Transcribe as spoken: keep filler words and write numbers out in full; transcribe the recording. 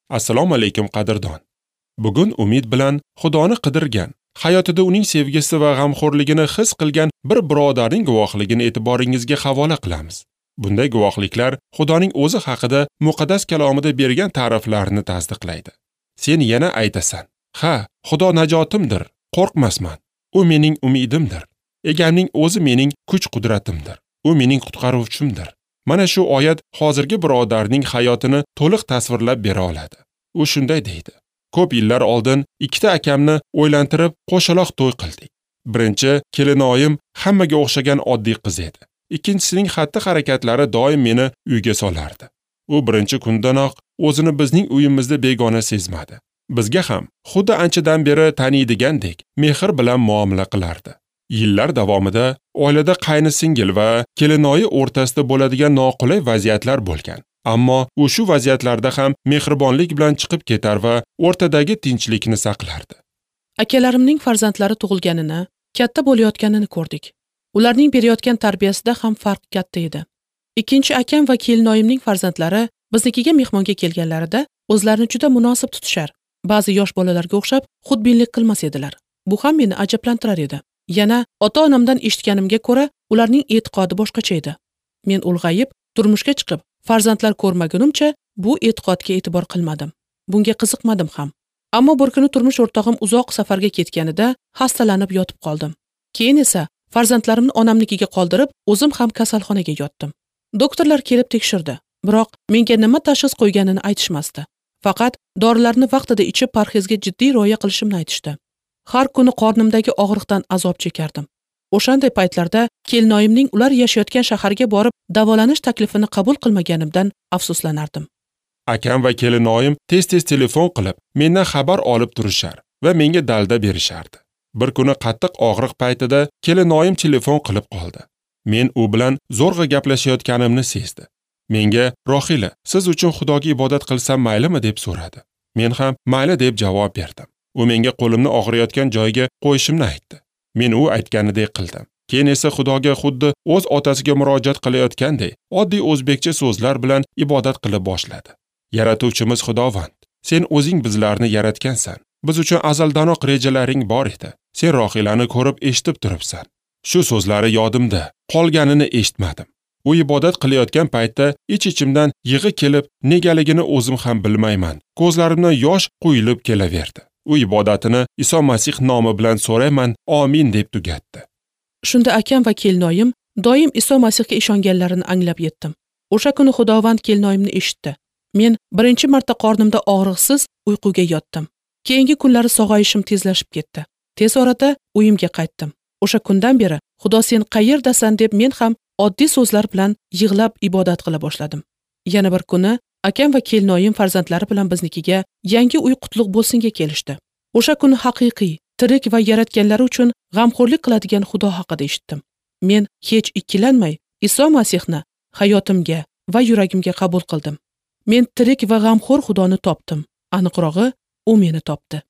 Assalomu alaykum qadrdon. Bugun umid bilan Xudoni qidirgan, hayotida uning sevgisi va g'amxo'rligini his qilgan bir birodarning guvohligini e'tiboringizga havola qilamiz. Bunday guvohliklar Xudoning o'zi haqida muqaddas kalomida bergan ta'riflarni tasdiqlaydi. Sen yana aytasan: "Ha, Xudo najotimdir, qo'rqmasman. U mening umidimdir. Egamning o'zi mening kuch-qudratimdir. U mening qutqaruvchimdir." Mana shu oyat hozirgi birodarning hayotini to'liq tasvirlab bera oladi. U shunday deydi: Ko'p yillar oldin ikkita akamni o'ylantirib qo'shaloq to'y qildik. Birinchi kelinoyim hammaga o'xshagan oddiy qiz edi. Ikkinchisining xatti-harakatlari doim meni uyga solardi. U birinchi kundanoq o'zini bizning uyimizda begona sezmadi. Bizga ham xuddi anchadan beri taniydigandek mehr bilan muomala qilardi. Yillar davomida oilada qayni-singil va kelinoyi o'rtasida bo'ladigan noqulay vaziyatlar bo'lgan. Ammo u shu vaziyatlarda ham mehribonlik bilan chiqib ketar va o'rtadagi tinchlikni saqlardi. Akalarimning farzandlari tug'ilganini, katta bo'layotganini ko'rdik. Ularning berayotgan tarbiyasida ham farq katta edi. Ikkinchi akam va kelinoyimning farzandlari biznikiga mehmonga kelganlarida o'zlarini juda munosib tutishar. Ba'zi yosh bolalarga o'xshab xudbinlik qilmas edilar. Bu ham meni ajablantirar edi. Yana ota-onamdan eshitganimga ko'ra, ularning e'tiqodi boshqacha edi. Men ulg'ayib, turmushga chiqib, farzandlar ko'rmagunimcha bu e'tiqodga e'tibor qilmadim. Bunga qiziqmadim ham. Ammo bir kuni turmush o'rtog'im uzoq safarga ketganida xastalanib yotib qoldim. Keyin esa farzandlarimni onamnikiga qoldirib, o'zim ham kasalxonaga yotdim. Doktorlar kelib tekshirdi, biroq menga nima tashxis qo'yganini aytishmasdi. Faqat dorilarni vaqtida ichib parhezga jiddiy rioya qilishimni aytishdi. Har kuni qornimdagi og'riqdan azob chekardim. O'shanday paytlarda kelinoyimning ular yashayotgan shaharga borib davolanish taklifini qabul qilmaganimdan afsuslanardim. Akam va kelinoyim tez-tez telefon qilib, mendan xabar olib turishar va menga dalda berishardi. Bir kuni qattiq og'riq paytida kelinoyim telefon qilib qoldi. Men u bilan zo'rg'a gaplashayotganimni sezdi. Menga: "Rohila, siz uchun Xudoga ibodat qilsam maylimi?" deb so'radi. Men ham mayli deb javob berdim. U menga qo'limni og'riyotgan joyga qo'yishimni aytdi. Men u aytganidek qildim. Keyin esa Xudoga xuddi o'z otasiga murojaat qilayotgandek, oddiy o'zbekcha so'zlar bilan ibodat qilib boshladi. Yaratuvchimiz Xudovand, sen o'zing bizlarni yaratgansan. Biz uchun azaldanoq rejalaring bor edi. Sen Rohilani ko'rib eshitib turibsan. Shu so'zlari yodimda, qolganini eshitmadim. U ibodat qilayotgan paytda ich-ichimdan yig'i kelib, negaligini o'zim ham bilmayman. Ko'zlarimdan yosh quyilib kelaverdi. U ibodatini Iso Masih nomi bilan so'rayman, amin deb tugatdi. Shunda akam va kelinoyim doim Iso Masihga ishonganlarini anglab yetdim. O'sha kuni Xudovand kelinoyimni eshitdi. Men birinchi marta qornimda og'riqsiz uyquga yotdim. Keyingi kunlari sog'ayishim tezlashib ketdi. Tez orada uyimga qaytdim. O'sha kundan beri Xudo sen qayerdasan deb men ham oddiy so'zlar bilan yig'lab ibodat qila boshladim. Yana bir kuni akam va kelinoyim farzandlari bilan biznikiga yangi uy qutlug' bo'lsinga kelishdi. O'sha kuni haqiqiy, tirik va yaratganlari uchun g'amxo'rlik qiladigan Xudo haqida eshitdim. Men hech ikkilanmay Iso Masihni hayotimga va yuragimga qabul qildim. Men tirik va g'amxo'r Xudoni topdim. Aniqrog'i, u meni topdi.